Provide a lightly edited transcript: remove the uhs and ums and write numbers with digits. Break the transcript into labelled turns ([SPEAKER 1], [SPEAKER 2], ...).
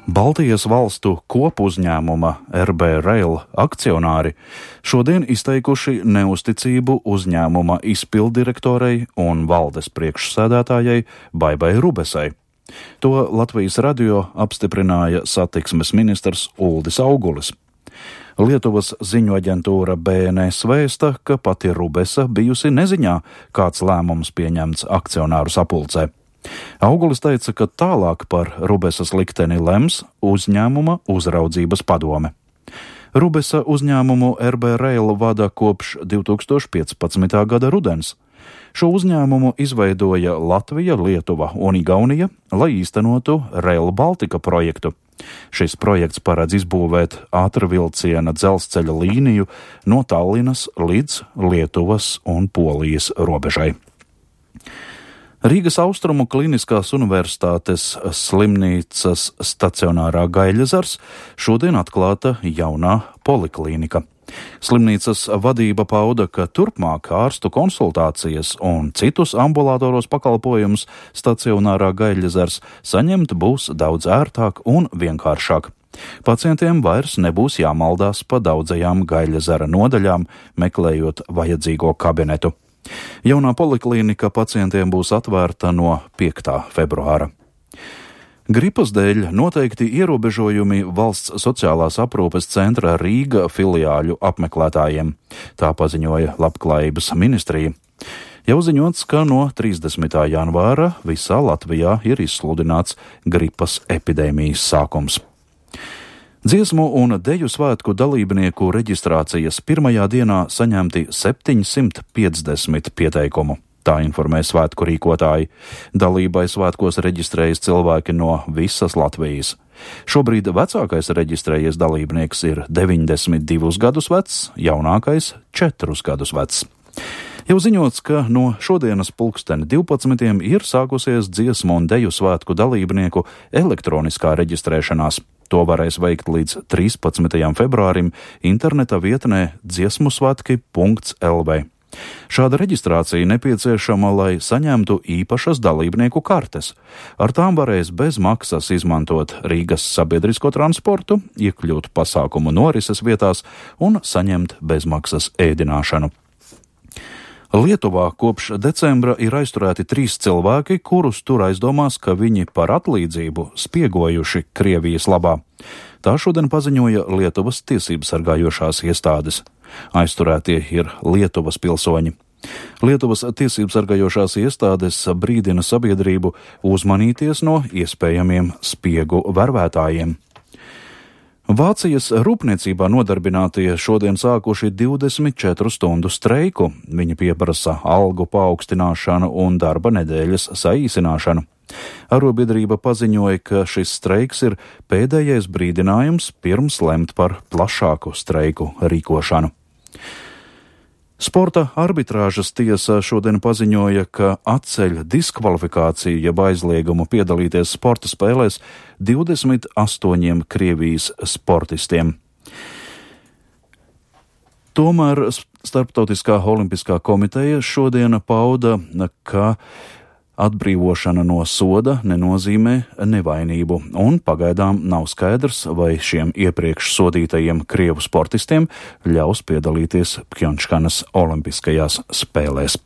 [SPEAKER 1] Baltijas valstu kopuzņēmuma RB Rail akcionāri šodien izteikuši neusticību uzņēmuma izpilddirektorei un valdes priekšsēdētājai Baibai Rubesai. To Latvijas radio apstiprināja satiksmes ministrs Uldis Augulis. Lietuvas ziņu aģentūra BNS vēsta, ka pati Rubesa bijusi neziņā, kāds lēmums pieņemts akcionāru sapulcē. Augulis teica, ka tālāk par Rubesas likteni lems uzņēmuma uzraudzības padome. Rubesa uzņēmumu RB Rail vada kopš 2015. gada rudens. Šo uzņēmumu izveidoja Latvija, Lietuva un Igaunija, lai īstenotu Rail Baltica projektu. Šis projekts paredz izbūvēt ātrvilciena dzelzceļa līniju no Tallinas līdz Lietuvas un Polijas robežai. Rīgas Austrumu Kliniskās universitātes slimnīcas stacionārā Gaļezars šodien atklāta jaunā poliklīnika. Slimnīcas vadība pauda, ka turpmāk ārstu konsultācijas un citus ambulatoros pakalpojumus stacionārā Gaļezars saņemt būs daudz ērtāk un vienkāršāk. Pacientiem vairs nebūs jāmaldās pa daudzajām Gaļezara nodaļām, meklējot vajadzīgo kabinetu. Jaunā poliklīnika pacientiem būs atvērta no 5. februāra. Gripas dēļ noteikti ierobežojumi valsts sociālās aprūpes centra Rīga filiāļu apmeklētājiem. Tā paziņoja Labklājības ministrija. Jau ziņots, ka no 30. janvāra visā Latvijā ir izsludināts gripas epidēmijas sākums. Dziesmu un deju svētku dalībnieku reģistrācijas pirmajā dienā saņemti 750 pieteikumu. Tā informē svētku rīkotāji. Dalībai svētkos reģistrējas cilvēki no visas Latvijas. Šobrīd vecākais reģistrējies dalībnieks ir 92 gadus vecs, jaunākais 4 gadus vecs. Jau ziņots, ka no šodienas 12. ir sākusies dziesmu un deju svētku dalībnieku elektroniskā reģistrēšanās. To varēs veikt līdz 13. februārim interneta vietnē dziesmusvētki.lv. Šāda reģistrācija nepieciešama, lai saņemtu īpašas dalībnieku kartes. Ar tām varēs bez maksas izmantot Rīgas sabiedrisko transportu, iekļūt pasākumu norises vietās un saņemt bezmaksas ēdināšanu. Lietuvā kopš decembra ir aizturēti 3 cilvēki, kurus tur aizdomās, ka viņi par atlīdzību spiegojuši Krievijas labā. Tā šodien paziņoja Lietuvas tiesības sargājošās iestādes. Aizturētie ir Lietuvas pilsoņi. Lietuvas tiesības sargājošās iestādes brīdina sabiedrību uzmanīties no iespējamiem spiegu vervētājiem. Vācijas rūpniecībā nodarbinātie šodien sākuši 24 stundu streiku. Viņi pieprasa algu paaugstināšanu un darba nedēļas saīsināšanu. Arobiedrība paziņoja, ka šis streiks ir pēdējais brīdinājums pirms lemt par plašāku streiku rīkošanu. Sporta arbitrāžas tiesa šodien paziņoja, ka atceļ diskvalifikāciju jeb aizliegumu piedalīties sporta spēlēs 28 Krievijas sportistiem. Tomēr Starptautiskā olimpiskā komiteja šodien pauda, ka atbrīvošana no soda nenozīmē nevainību, un pagaidām nav skaidrs, vai šiem iepriekš sodītajiem krievu sportistiem ļaus piedalīties Pjončkanas olimpiskajās spēlēs.